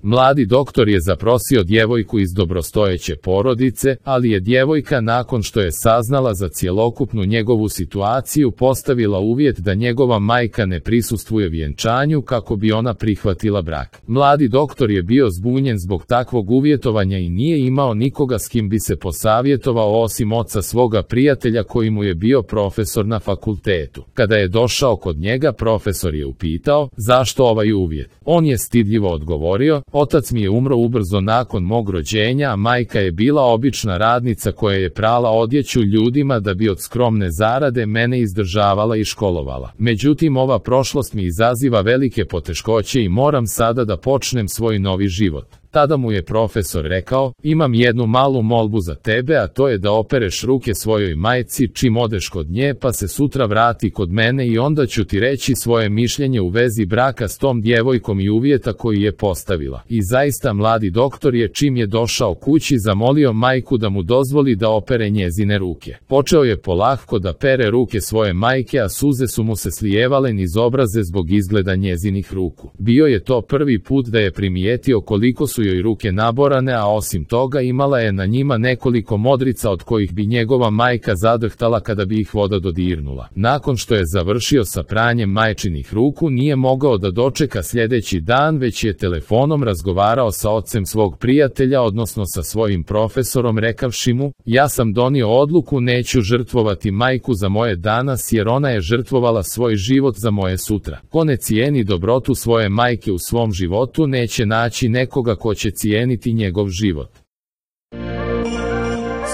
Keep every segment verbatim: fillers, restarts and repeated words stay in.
Mladi doktor je zaprosio djevojku iz dobrostojeće porodice, ali je djevojka nakon što je saznala za cjelokupnu njegovu situaciju postavila uvjet da njegova majka ne prisustvuje vjenčanju kako bi ona prihvatila brak. Mladi doktor je bio zbunjen zbog takvog uvjetovanja i nije imao nikoga s kim bi se posavjetovao osim oca svoga prijatelja koji mu je bio profesor na fakultetu. Kada je došao kod njega, profesor je upitao zašto ovaj uvjet. On je stidljivo odgovorio: otac mi je umro ubrzo nakon mog rođenja, a majka je bila obična radnica koja je prala odjeću ljudima da bi od skromne zarade mene izdržavala i školovala. Međutim, ova prošlost mi izaziva velike poteškoće i moram sada da počnem svoj novi život. Tada mu je profesor rekao: imam jednu malu molbu za tebe, a to je da opereš ruke svojoj majci čim odeš kod nje, pa se sutra vrati kod mene i onda ću ti reći svoje mišljenje u vezi braka s tom djevojkom i uvjeta koji je postavila. I zaista mladi doktor je čim je došao kući zamolio majku da mu dozvoli da opere njezine ruke. Počeo je polako da pere ruke svoje majke, a suze su mu se slijevale niz obraze zbog izgleda njezinih ruku. Bio je to prvi put da je primijetio koliko su joj ruke naborane, a osim toga imala je na njima nekoliko modrica od kojih bi njegova majka zadrhtala kada bi ih voda dodirnula. Nakon što je završio sa pranjem majčinih ruku, nije mogao da dočeka sljedeći dan, već je telefonom razgovarao sa ocem svog prijatelja, odnosno sa svojim profesorom, rekavši mu: ja sam donio odluku, neću žrtvovati majku za moje danas jer ona je žrtvovala svoj život za moje sutra. Ko ne cijeni dobrotu svoje majke u svom životu, neće naći nekoga ko će cijeniti njegov život.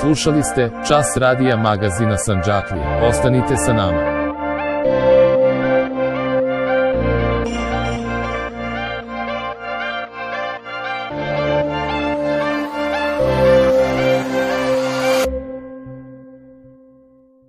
Slušali ste Čas radija magazina Sandžaklija. Ostanite sa nama.